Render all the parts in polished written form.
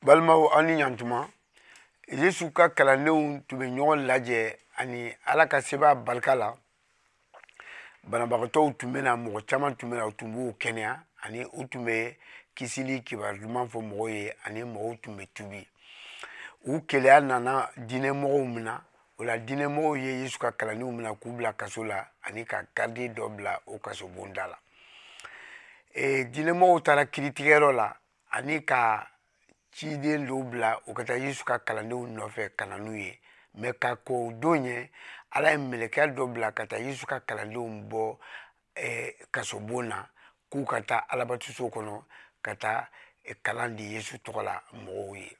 Balimaw, aw ni ɲantuma. Yesu ka kalandenw tun bɛ ɲɔgɔn lajɛ ani Ala ka sebaya barika la, banabagatɔw tun bɛ na, mɔgɔ caman tun bɛ na, u tun b'u kɛnɛya, ani u tun bɛ kisili kibaru duman fɔ mɔgɔw ye, ani mɔgɔw tun bɛ tubi. U keleya nana diinɛmɔgɔw minɛ. O la, diinɛmɔgɔw ye Yesu ka kalandenw minɛ k'u bila kaso la, ani ka garidi dɔ bila o kasobonda la. Diinɛmɔgɔw taara kiiritigɛyɔrɔ la ani ka ciden dɔw bila u ka taa Yesu ka kalandenw nɔfɛ ka na n'u ye. Mɛ ka kɔn o don ɲɛ, Ala ye mɛlɛkɛ dɔ bila ka taa Yesu ka kalandenw bɔ kasobon na, k'u ka taa Alabatoso kɔnɔ ka taa kalan di Yesu tɔgɔ la mɔgɔw ye.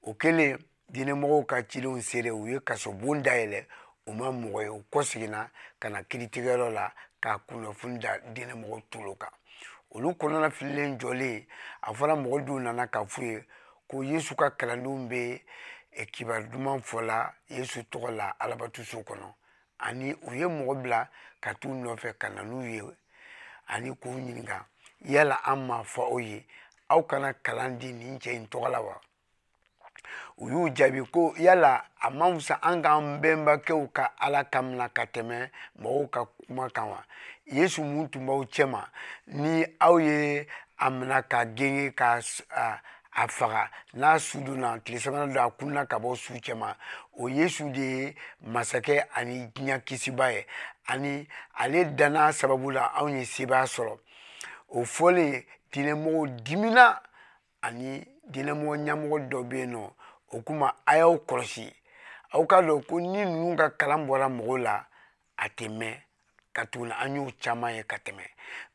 O kɛlen, diinɛmɔgɔw ka cidenw sere, u ye kasobon dayɛlɛ, u ma mɔgɔ ye. U kɔseginna ka na kiiritigɛyɔrɔ la ka kunnafoni da diinɛmɔgɔw tulo kan. Olu kɔnɔna fililen jɔlen, a fɔra mɔgɔ dɔw nana k'a f'u ye ko Yesu ka kalandenw bɛ kibaru duman fɔla Yesu tɔgɔ la Alabatoso kɔnɔ, ani u ye mɔgɔ bila ka t'u nɔfɛ ka na n'u ye, ani k'u ɲininka: yala an m'a fɔ aw ye aw kana kalan di nin cɛ in tɔgɔ la wa? U y'u jaabi ko: yala a man fisa an k'an bɛnbakɛw ka Ala kan minɛ ka tɛmɛ mɔgɔw ka kuma kan wa? Yesu mun tun b'aw cɛma, ni aw ye a minɛ ka genge ka a faga, n'a su donna tile sabanan don, a kunna ka bɔ su cɛma, o Yesu de ye masakɛ ani diɲɛ kisiba ye, ani ale danna sababu la anw ye sebaaya sɔrɔ. O fɔlen, diinɛmɔgɔw dimina, ani diinɛmɔgɔ ɲɛmɔgɔ dɔ bɛ yen nɔ, o kuma: a y'aw kɔlɔsi, aw k'a dɔn ko ni ninnu ka kalan bɔra mɔgɔw la, a tɛ mɛn ka tuguni. An y'o caman ye ka tɛmɛ.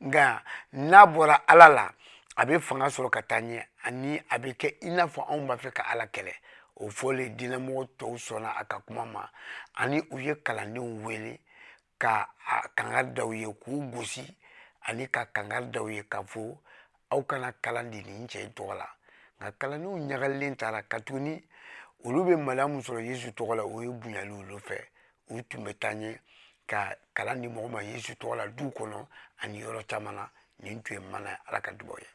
Nka n'a bɔra Ala la, a bɛ fanga sɔrɔ ka taa ɲɛ, ani a bɛ kɛ i n'a fɔ anw b'a fɛ ka Ala kɛlɛ. O fɔlen, diinɛmɔgɔ tɔw sɔnna a ka kuma ma, ani u ye kalandenw wele ka a kangari da u ye, k'u gosi, ani ka kangari da u ye k'a fɔ: aw kana kalan di nin cɛ in tɔgɔ la. Nka kalandenw ɲagalilen taara, ka tuguni olu bɛ maloya min sɔrɔ Yesu tɔgɔ la, o ye bonyali olu fɛ. U tun bɛ taa ɲɛ ka kalan di mɔgɔ ma Yesu tɔgɔ la du kɔnɔ ani yɔrɔ caman na. Nin tun ye mana ye. Ala ka dubaw ye.